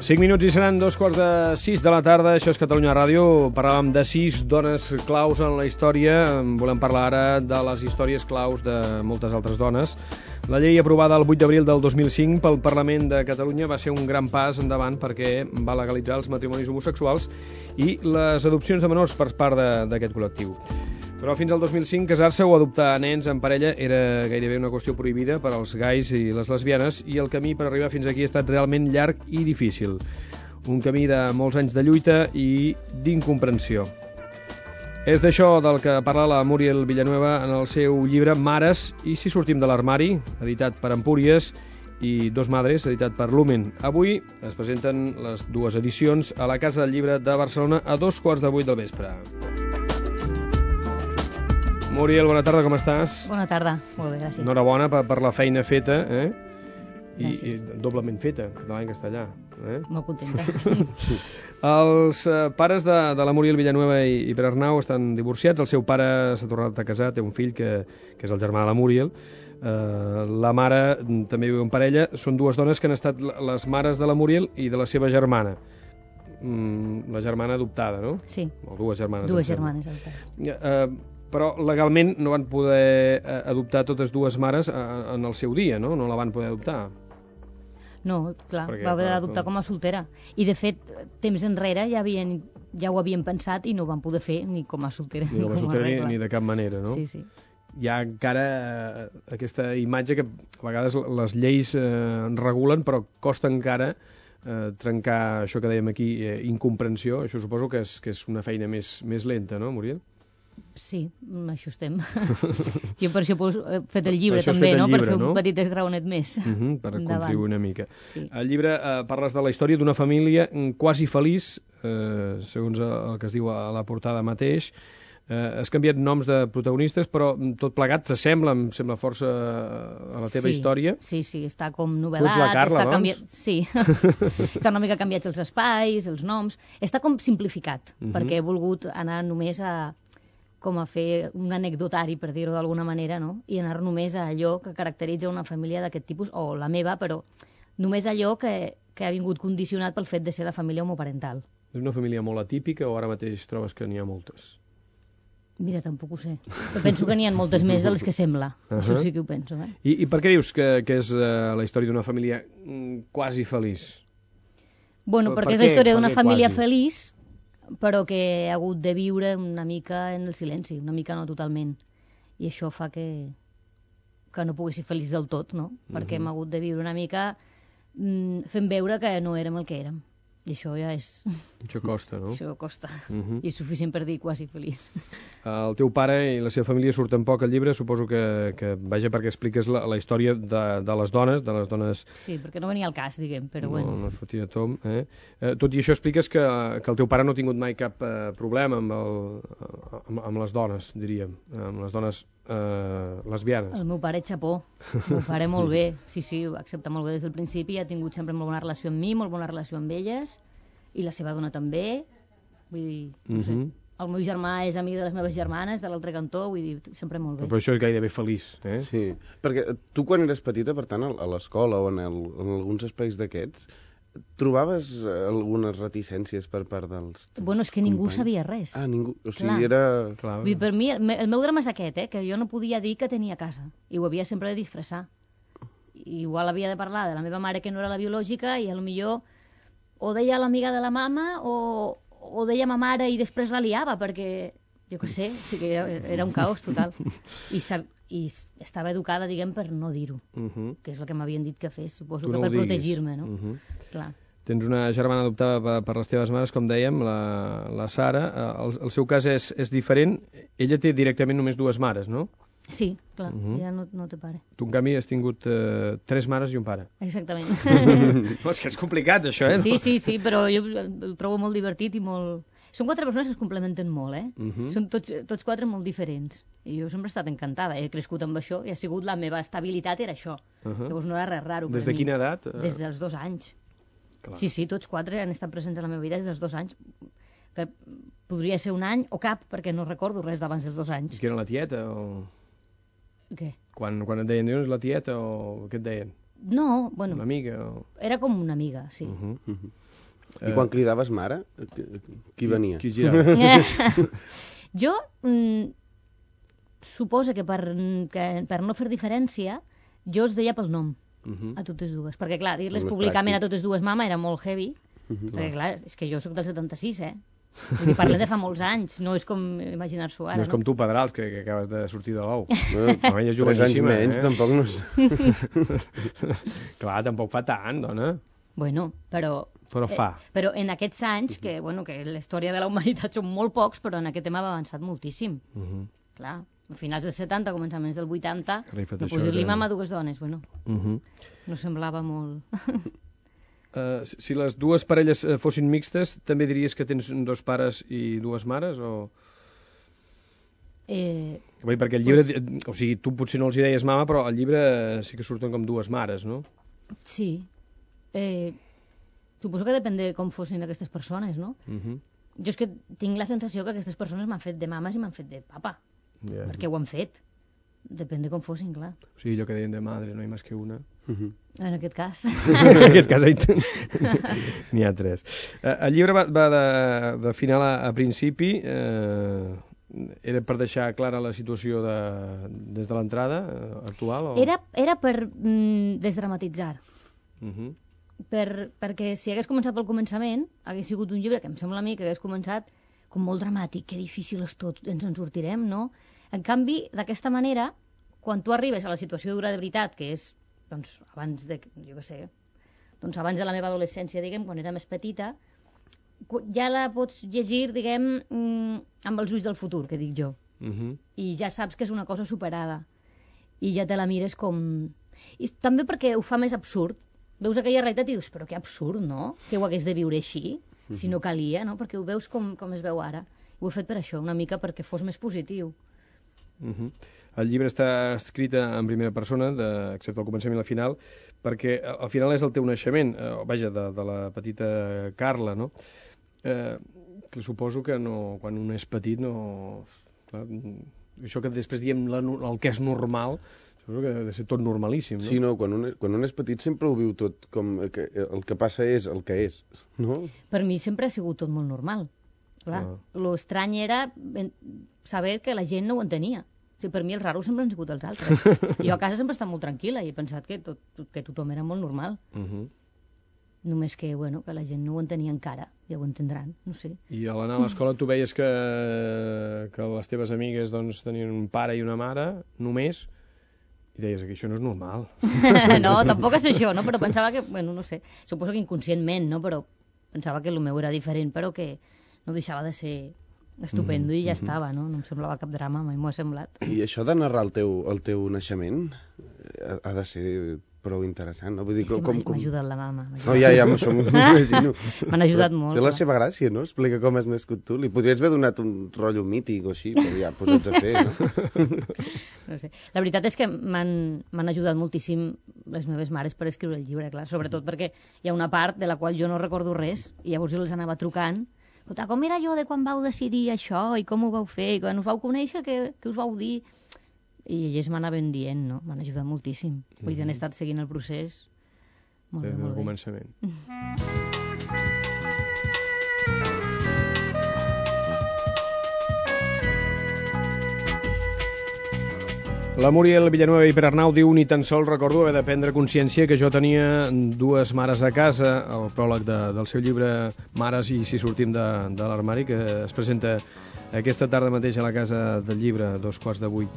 5 minuts i seran 2:45 de la tarda. Això és Catalunya Ràdio. Parlàvem de 6 dones claus en la història. Volem parlar ara de les històries claus de moltes altres dones. La llei aprovada el 8 d'abril del 2005 pel Parlament de Catalunya va ser un gran pas endavant perquè va legalitzar els matrimonis homosexuals i les adopcions de menors per part d'aquest col·lectiu. Però fins al 2005 casar-se o adoptar nens en parella era gairebé una qüestió prohibida per als gais i les lesbianes, i el camí per arribar fins aquí ha estat realment llarg i difícil. Un camí de molts anys de lluita i d'incomprensió. És d'això del que parla la Muriel Villanueva en el seu llibre Mares i si sortim de l'armari, editat per Empúries, i Dos Madres, editat per Lumen. Avui es presenten les dues edicions a la Casa del Llibre de Barcelona a 7:15 del vespre. Muriel, bona tarda, com estàs? Bona tarda, molt bé, gràcies. Enhorabona per la feina feta, I doblement feta, català i castellà. Molt contenta. Els pares de la Muriel Villanueva i Pere Arnau estan divorciats. El seu pare s'ha tornat a casar, té un fill que és el germà de la Muriel. La mare també viu en parella. Són dues dones que han estat les mares de la Muriel i de la seva germana. La germana adoptada, no? Sí. O dues germanes. Dues germanes adoptades. Però legalment no van poder adoptar totes dues mares en el seu dia, no? No la van poder adoptar. No, clar, va haver d'adoptar com a soltera. I, de fet, temps enrere ja ho havien pensat i no ho van poder fer ni com a soltera ni com a soltera ni de cap manera, no? Sí, sí. Hi ha encara aquesta imatge que a vegades les lleis regulen, però costa encara trencar això que dèiem aquí, incomprensió. Això suposo que és una feina més lenta, no, Muriel? Sí, això estem. Jo per això he fet el llibre també, no? Per fer un petit esgraonet més. Per contribuir una mica. Sí. Al llibre parles de la història d'una família quasi feliç, segons el que es diu a la portada mateix. Has canviat noms de protagonistes, però tot plegat s'assembla, em sembla força a la teva història. Sí, està com novel·lat. Tu ets la Carla, doncs? Sí, està una mica canviats els espais, els noms. Està com simplificat, perquè he volgut anar només com a fer un anecdotari, per dir-ho d'alguna manera, no? I anar només a allò que caracteritza una família d'aquest tipus, o la meva, però només allò que ha vingut condicionat pel fet de ser la família homoparental. És una família molt atípica o ara mateix trobes que n'hi ha moltes? Mira, tampoc ho sé. Però penso que n'hi ha moltes més de les que sembla. Això sí que ho penso, I per què dius que és la història d'una família quasi feliç? Bueno, perquè és la història d'una família feliç, però que ha hagut de viure una mica en el silenci, una mica no totalment. I això fa que no pugui ser feliç del tot, no? Perquè hem hagut de viure una mica fent veure que no érem el que érem. I això ja és... Això costa, no? Això costa. I és suficient per dir quasi feliç. El teu pare i la seva família surten poc al llibre, suposo que vaja perquè expliques la història de les dones... Sí, perquè no venia al cas, diguem, però bueno. No sortia a tom, Tot i això expliques que el teu pare no ha tingut mai cap problema amb les dones, diríem, amb les dones lesbianes. El meu pare xapó, el meu pare molt bé, sí, ho accepta molt bé des del principi, ha tingut sempre molt bona relació amb mi, molt bona relació amb elles, i la seva dona també, vull dir, no sé. El meu germà és amic de les meves germanes, de l'altre cantó, vull dir, sempre molt bé. Però això és gairebé feliç, Sí, perquè tu quan eres petita, per tant, a l'escola o en alguns espais d'aquests, trobaves algunes reticències per part dels Bueno, és que ningú sabia res. Ningú, o sigui, era... Vull dir, per mi, el meu drama és aquest, que jo no podia dir que tenia casa, i ho havia sempre de disfressar. Igual havia de parlar de la meva mare, que no era la biològica, i potser o deia l'amiga de la mama o deia ma mare i després la liava, perquè, jo què sé, o sigui, era un caos total. I estava educada, diguem, per no dir-ho, que és el que m'havien dit que fes, suposo que per protegir-me, no? Clar. Tens una germana adoptada per les teves mares, com dèiem, la Sara. El seu cas és diferent. Ella té directament només dues mares, no? Sí, clar, ja no té pare. Tu, en canvi, has tingut 3 mares i un pare. Exactament. És que és complicat, això, Sí, però jo el trobo molt divertit i molt... Són 4 persones que es complementen molt, Són tots 4 molt diferents. I jo sempre he estat encantada, he crescut amb això i ha sigut la meva estabilitat, era això. Llavors no era res raro per mi. Des de quina edat? Des dels 2 anys. Clar. Sí, tots 4 han estat presents a la meva vida des dels 2 anys. Que podria ser un any o cap, perquè no recordo res d'abans dels 2 anys. I que era la tieta o...? Què? Quan et deien, dius, la tieta o què et deien? No, bueno... Una amiga o...? Era com una amiga, sí. I quan cridaves mare, qui venia? Qui girava? Jo suposo que per no fer diferència, jo es deia pel nom a totes dues. Perquè, clar, dir-les Més públicament pràctic. a totes dues mama era molt heavy. Perquè, clar, és que jo sóc del 76, Vull dir, parlem de fa molts anys, no és com imaginar-s'ho ara, No és com tu, Pedrals, que acabes de sortir de l'ou. Bueno, Home, és 3 anys joveníssima, menys, tampoc no és... Clar, tampoc fa tant, dona. Bueno, però fa. Però en aquests anys, que la història de la humanitat són molt pocs, però en aquest tema va avançat moltíssim. Clar, a finals dels 70, començaments del 80, no posar-li mama a dues dones, bueno, no semblava molt... Si les dues parelles fossin mixtes, també diries que tens 2 pares i 2 mares, o...? Perquè el llibre... O sigui, tu potser no els hi deies mama, però al llibre sí que surten com 2 mares, no? Sí. Suposo que depèn de com fossin aquestes persones, no? Jo és que tinc la sensació que aquestes persones m'han fet de mames i m'han fet de papa. Perquè ho han fet. Depèn de com fossin, clar. O sigui, allò que deien de madre, no hi ha més que una. En aquest cas. En aquest cas n'hi ha 3. El llibre va de final a principi. Era per deixar clara la situació des de l'entrada actual? O... Era per desdramatitzar. Perquè si hagués començat pel començament, hagués sigut un llibre que em sembla a mi que hagués començat com molt dramàtic, que difícil és tot, ens en sortirem, no? En canvi, d'aquesta manera, quan tu arribes a la situació dura de veritat, que és, doncs, abans de, jo què sé, doncs abans de la meva adolescència, diguem, quan era més petita, ja la pots llegir, diguem, amb els ulls del futur, que dic jo. I ja saps que és una cosa superada. I ja te la mires com... I també perquè ho fa més absurd. Veus aquella realitat i dius, però que absurd, no? Que ho hagués de viure així, si no calia, no? Perquè ho veus com es veu ara. Ho he fet per això, una mica perquè fos més positiu. El llibre està escrit en primera persona, excepte el començament i el final, perquè al final és el teu naixement, vaja, de la petita Carla, no? Que suposo que no, quan un és petit no... Clar, això que després diem el que és normal, suposo que ha de ser tot normalíssim, no? Sí, no, quan un és petit sempre ho viu tot com que el que passa és el que és, no? Per mi sempre ha sigut tot molt normal. Clar, l'estrany era saber que la gent no ho entenia. O sigui, per mi els raros sempre han sigut els altres. Jo a casa sempre he estat molt tranquil·la i he pensat que tothom era molt normal. Només que, bueno, que la gent no ho entenia encara, ja ho entendran, no sé. I a l'anar a l'escola tu veies que les teves amigues doncs, tenien un pare i una mare, només, i deies que això no és normal. No, tampoc és això, no? Però pensava que, bueno, no sé, suposo que inconscientment, no? Però pensava que el meu era diferent, però que no deixava de ser estupendo i ja estava, no? No em semblava cap drama, mai m'ho ha semblat. I això de narrar el teu naixement ha de ser prou interessant, no? Vull dir, m'ha ajudat la mama. No, ja, amb això m'ho imagino. M'han ajudat molt. Té la seva gràcia, no? Explica com has nascut tu. Li podries haver donat un rotllo mític o així, però ja, posats a fer, no? No sé. La veritat és que m'han ajudat moltíssim les meves mares per escriure el llibre, clar, sobretot perquè hi ha una part de la qual jo no recordo res i llavors jo els anava trucant. Escolta, com era allò de quan vau decidir això i com ho vau fer i quan us vau conèixer, què us vau dir? I elles m'anaven dient, no? M'han ajudat moltíssim. Vull dir, han estat seguint el procés molt bé, molt bé. Des del començament. La Muriel Villanueva i Pere Arnau diu: ni tan sols recordo haver de prendre consciència que jo tenia 2 mares a casa, el pròleg del seu llibre Mares i si sortim de l'armari, que es presenta aquesta tarda mateix a la Casa del Llibre, 7:15.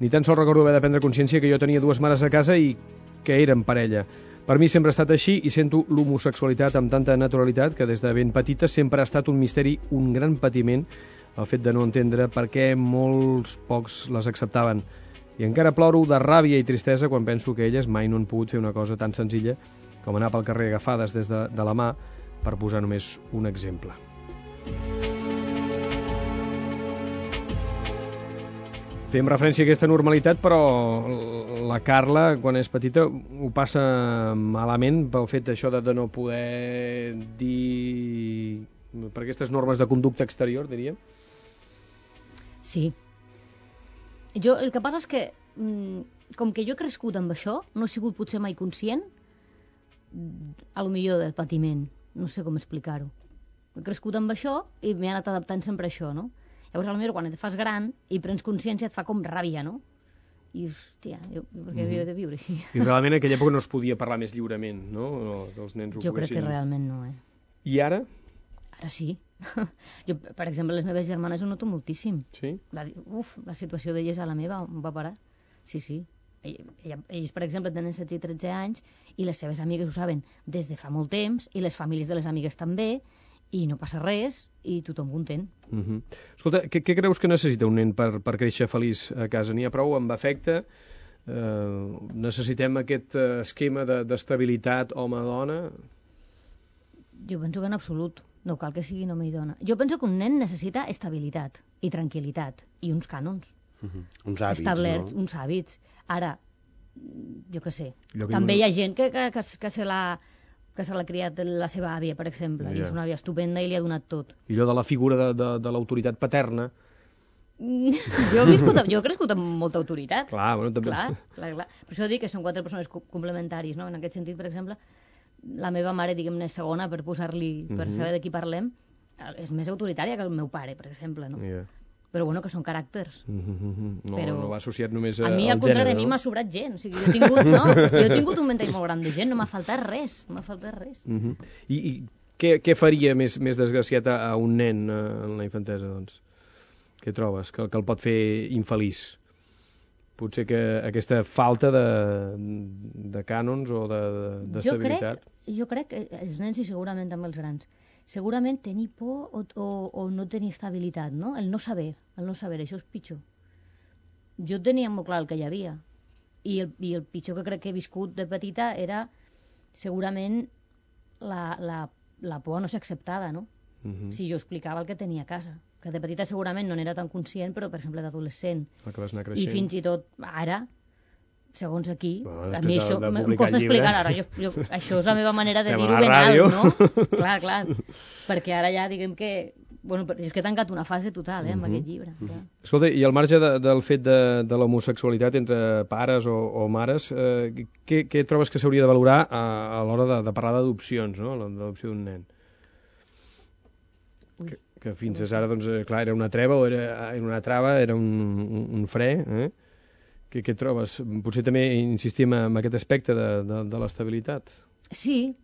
Ni tan sols recordo haver de prendre consciència que jo tenia 2 mares a casa i que eren parella. Per mi sempre ha estat així i sento l'homosexualitat amb tanta naturalitat que des de ben petita sempre ha estat un misteri, un gran patiment, el fet de no entendre per què molts pocs les acceptaven. I encara ploro de ràbia i tristesa quan penso que elles mai no han pogut fer una cosa tan senzilla com anar pel carrer agafades des de la mà, per posar només un exemple. Fem referència a aquesta normalitat, però la Carla, quan és petita, ho passa malament pel fet d'això de no poder dir... per aquestes normes de conducta exterior, diríem? Sí. El que passa és que, com que jo he crescut amb això, no he sigut potser mai conscient, a lo millor del patiment. No sé com explicar-ho. He crescut amb això i m'he anat adaptant sempre a això, no? Llavors, potser quan et fas gran i prens consciència et fa com ràbia, no? I, hòstia, per què havia de viure així? I realment en aquella època no es podia parlar més lliurement, no? Que els nens ho Jo crec poguessin... que realment no, I ara? Ara sí. Jo, per exemple, les meves germanes ho noto moltíssim. Sí? La situació d'elles a la meva em va parar. Sí. Ells, per exemple, tenen 16 i 13 anys i les seves amigues ho saben des de fa molt temps i les famílies de les amigues també i no passa res i tothom content. Escolta, què creus que necessita un nen per créixer feliç a casa? N'hi ha prou amb afecte? Necessitem aquest esquema d'estabilitat home-dona? Jo penso que en absolut. No cal que sigui home i dona. Jo penso que un nen necessita estabilitat i tranquil·litat i uns cànons. Uns hàbits, establerts, no? uns hàbits. Ara, jo què sé, que també hi ha gent que se l'ha criat la seva àvia, per exemple, i és una àvia estupenda i li ha donat tot. I allò de la figura de l'autoritat paterna. Jo he crescut amb molta autoritat. Clar, bueno, també... Clar. Per això dic que són 4 persones complementaris, no? En aquest sentit, per exemple, la meva mare, diguem-ne, segona, per posar-li, per saber de qui parlem, és més autoritària que el meu pare, per exemple, no? Però bueno, que són caràcters. No va associat només al gènere. A mi, al al contrari, gènere, a mi no? m'ha sobrat gent. O sigui, jo he tingut un ventall molt gran de gent, no m'ha faltat res. I què faria més desgraciat a un nen en la infantesa, doncs? Què trobes? Que el pot fer infeliç? Potser que aquesta falta de cànons o d'estabilitat? Jo crec que els nens i segurament també els grans, segurament tenir por o no tenir estabilitat, no? El no saber, això és pitjor. Jo tenia molt clar el que hi havia i el pitjor que crec que he viscut de petita era segurament la por a no ser acceptada, no? Si jo explicava el que tenia a casa, que de petita segurament no n'era tan conscient, però per exemple d'adolescent i fins i tot ara, segons aquí, a mi això em costa explicar ara, això és la meva manera de dir-ho ben alt, no? Clar, perquè ara ja diguem que bueno, és que he tancat una fase total amb aquest llibre. Escolta, i al marge del fet de l'homosexualitat entre pares o mares, què trobes que s'hauria de valorar a l'hora de parlar d'adopcions, no? L'adopció d'un nen? Que fins ara, doncs, clar, era una treva o era una trava, era un fre, Què trobes? Potser també insistim en aquest aspecte de l'estabilitat. Sí.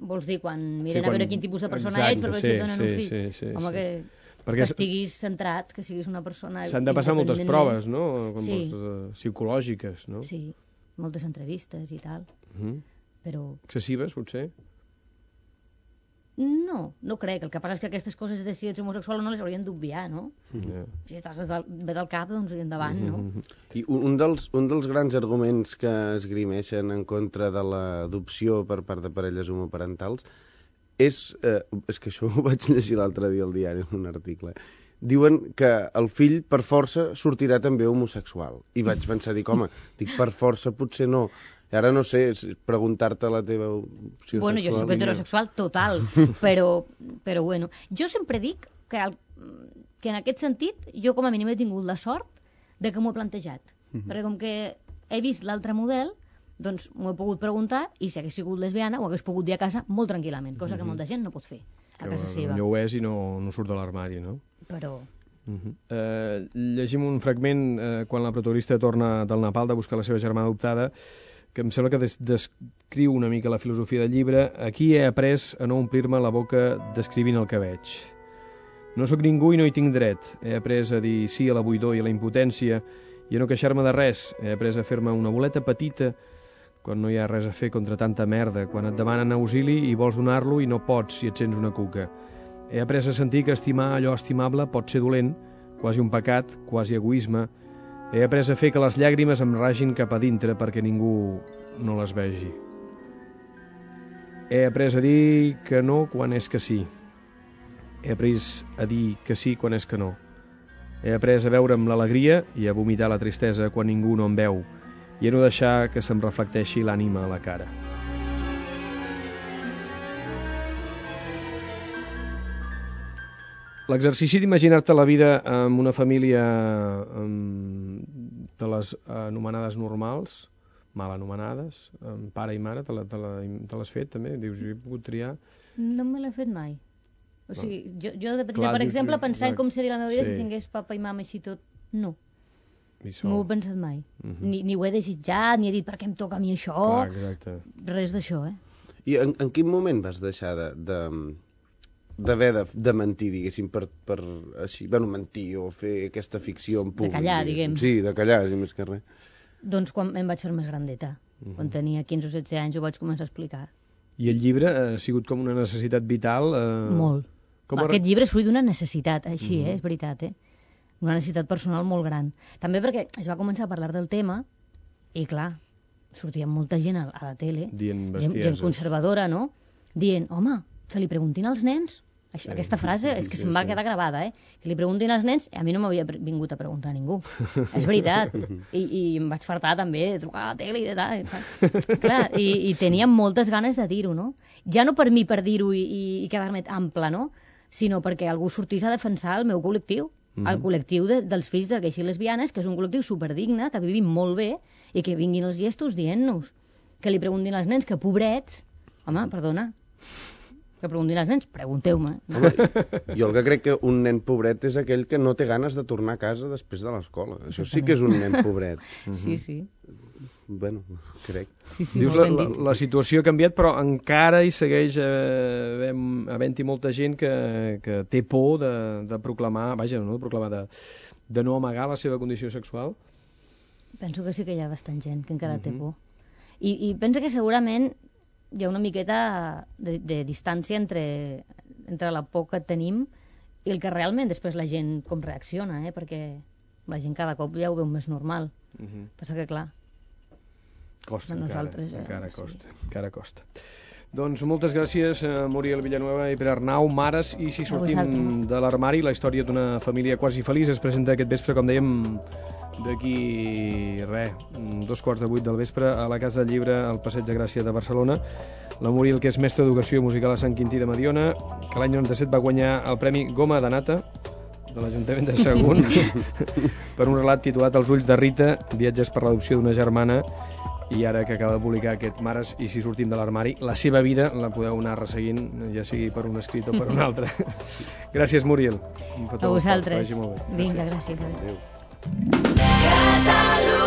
Vols dir, quan miren a veure quin tipus de persona ets, per veure si et donen un fill. Sí. Home, que estiguis centrat, que siguis una persona... S'han de passar moltes proves, no? Psicològiques, no? Sí, moltes entrevistes i tal. Però... Excessives, potser? No crec. El que passa és que aquestes coses de si ets homosexual o no les haurien d'obviar, no? Si estàs bé del cap, doncs endavant, no? I un dels grans arguments que esgrimeixen en contra de l'adopció per part de parelles homoparentals és que això ho vaig llegir l'altre dia al diari en un article. Diuen que el fill per força sortirà també homosexual. I vaig pensar, home, per força potser no. I ara no sé, preguntar-te la teva opció bueno, sexual... Jo soc heterosexual total, però bueno. Jo sempre dic que en aquest sentit jo com a mínim he tingut la sort de que m'ho he plantejat. Perquè com que he vist l'altre model, doncs m'ho he pogut preguntar i si hagués sigut lesbiana ho hagués pogut dir a casa molt tranquil·lament, cosa que molta gent no pot fer a casa seva. No ho és i no surt de l'armari, no? Però... Llegim un fragment quan la protagonista torna del Nepal de buscar la seva germana adoptada, que em sembla que descriu una mica la filosofia del llibre. Aquí he après a no omplir-me la boca descrivint el que veig. No sóc ningú i no hi tinc dret. He après a dir sí a la buidor i a la impotència i a no queixar-me de res. He après a fer-me una boleta petita quan no hi ha res a fer contra tanta merda, quan et demanen auxili i vols donar-lo i no pots si et sents una cuca. He après a sentir que estimar allò estimable pot ser dolent, quasi un pecat, quasi egoisme. He après a fer que les llàgrimes em ragin cap a dintre perquè ningú no les vegi. He après a dir que no quan és que sí. He après a dir que sí quan és que no. He après a veure'm l'alegria i a vomitar la tristesa quan ningú no em veu i a no deixar que se'm reflecteixi l'ànima a la cara. L'exercici d'imaginar-te la vida amb una família de les anomenades normals mal anomenades, pare i mare, te l'has fet també? Dius, jo he pogut triar... No me l'he fet mai. O sigui, jo de petita, Clar, per exemple, dius, pensant com seria la meva vida sí. si tingués papa i mama així tot, no. Sol. No ho he pensat mai. Ni ho he desitjat, ni he dit per què em toca a mi això. Clar, exacte. Res d'això, I en quin moment vas deixar d'haver de mentir, diguéssim, per així, bueno, mentir o fer aquesta ficció en públic? callar, diguem. Sí, de callar, sí, més que res. Doncs quan em vaig fer més grandeta. Quan tenia 15 o 16 anys ho vaig començar a explicar. I el llibre ha sigut com una necessitat vital? Molt. Aquest llibre és fruit d'una necessitat, així, és veritat, una necessitat personal molt gran. També perquè es va començar a parlar del tema i, clar, sortia molta gent a la tele, dient bestieses. Gent conservadora, no? Dient, home, que li preguntin als nens. Això, aquesta frase és que se'm va quedar gravada, que li preguntin als nens, a mi no m'havia vingut a preguntar a ningú. És veritat. I em vaig fartar també de trucar a la tele i de tal. Clar, i tenia moltes ganes de dir-ho, no? Ja no per mi per dir-ho i quedar-me ample, no? Sinó perquè algú sortís a defensar el meu col·lectiu, el col·lectiu dels fills de gais i lesbianes, que és un col·lectiu superdigne, que vivim molt bé, i que vinguin els llestos dient-nos, que li preguntin als nens que pobrets, home, perdona, que preguntin als nens, pregunteu-me. Home, jo el que crec que un nen pobret és aquell que no té ganes de tornar a casa després de l'escola. Això sí que és un nen pobret. Sí, sí. Bueno, crec. Sí, Dius, la situació ha canviat, però encara hi segueix havent-hi molta gent que té por de proclamar, vaja, no de proclamar, de no amagar la seva condició sexual? Penso que sí que hi ha bastant gent que encara té por. I penso que segurament hi ha una miqueta de distància entre la por que tenim i el que realment després la gent com reacciona, perquè la gent cada cop ja ho veu més normal. Passa que, clar, costa encara sí. costa. Doncs moltes gràcies, Muriel Villanueva i Pere Arnau. Mares i si sortim de l'armari, la història d'una família quasi feliç es presenta aquest vespre, com dèiem, d'aquí, 7:15 del vespre, a la Casa del Llibre, al Passeig de Gràcia de Barcelona. La Muriel, que és mestra d'Educació Musical a Sant Quintí de Mediona, que l'any 97 va guanyar el Premi Goma de Nata de l'Ajuntament de Sagunt per un relat titulat Els ulls de Rita, viatges per l'adopció d'una germana, i ara que acaba de publicar aquest Mares i si sortim de l'armari, la seva vida la podeu anar resseguint, ja sigui per un escrit o per un altre. Gràcies, Muriel. A vosaltres. Vagi molt bé. Vinga, gràcies. Adéu. Catalunya.